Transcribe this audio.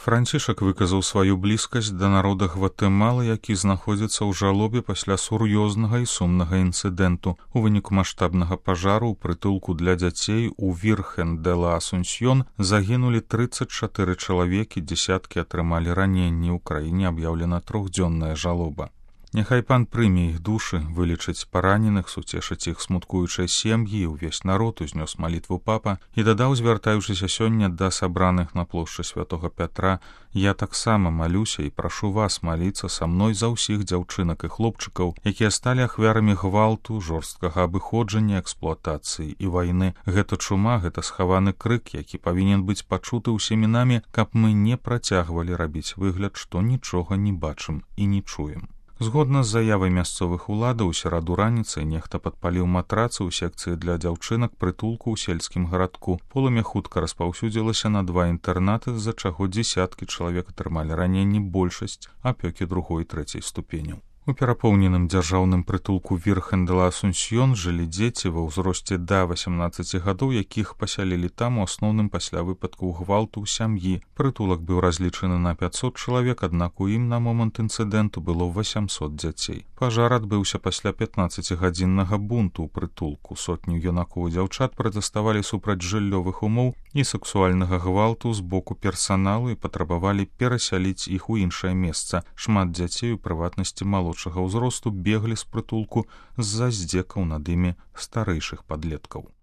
Францішак выказаў сваю блізкасць да народа Гватэмалы, які знаходзіцца ў жалобе пасля сур'ёзнага і сумнага інцыдэнту. У выніку маштабнага пажару ў прытулку для дзяцей у Вірхен-де-ла-Асунсьён загінулі 34 чалавекі, дзесяткі атрымалі раненні. У краіне аб'яўлена 3-дзённая жалоба. Няхай пан прыме іх душы, вылечыць параненых, суцешыць іх смуткуючыя сем'і, і ўвесь народ узнёс малітву папа і дадаў, звяртаючыся сёння да сабраных на плошчы святога Пятра: «Я таксама малюся і прашу вас маліцца са мной за ўсіх дзяўчынак і хлопчыкаў, якія сталі ахвярамі гвалту, жорсткага абыходжання, эксплуатацыі і вайны. Гэта чума, гэта схаваны крык, які павінен быць пачуты ўсімі намі, каб мы не працягвалі рабіць выгляд, што нічога не бачым і не чуем». Згодна з заявай мясцовых уладаў, у сераду раніцай нехта падпаліў матрацы ў секцыі для дзяўчынак прытулку ў сельскім гарадку. Полымя хутка распаўсюдзілася на 2 інтэрнаты, з-за чаго дзесяткі чалавек атрымалі раненні, большасць апёкі 2-й і 3-й ступеняў. У перапоўненым дзяржаўным прытулку Вірхен-де-ла-Асунсьён жылі дзеці ва ўзросце да 18 гадоў, якіх пасялілі там у асноўным пасля выпадкаў гвалту ў сям'і. Прытулак быў разлічаны на 500 чалавек, аднак у ім на момант інцыдэнту было 800 дзяцей. Пажар адбыўся пасля 15-гадзіннага бунту ў прытулку. Сотні юнакоў і дзяўчат пратэставалі супраць жыллёвых умоў і сексуальнага гвалту з боку персаналу і патрабавалі перасяліць іх у іншае месца. Шмат дзяцей, у прыватнасці малодшага ўзросту, беглі з прытулку з-за здзекаў над імі старэйшых падлеткаў.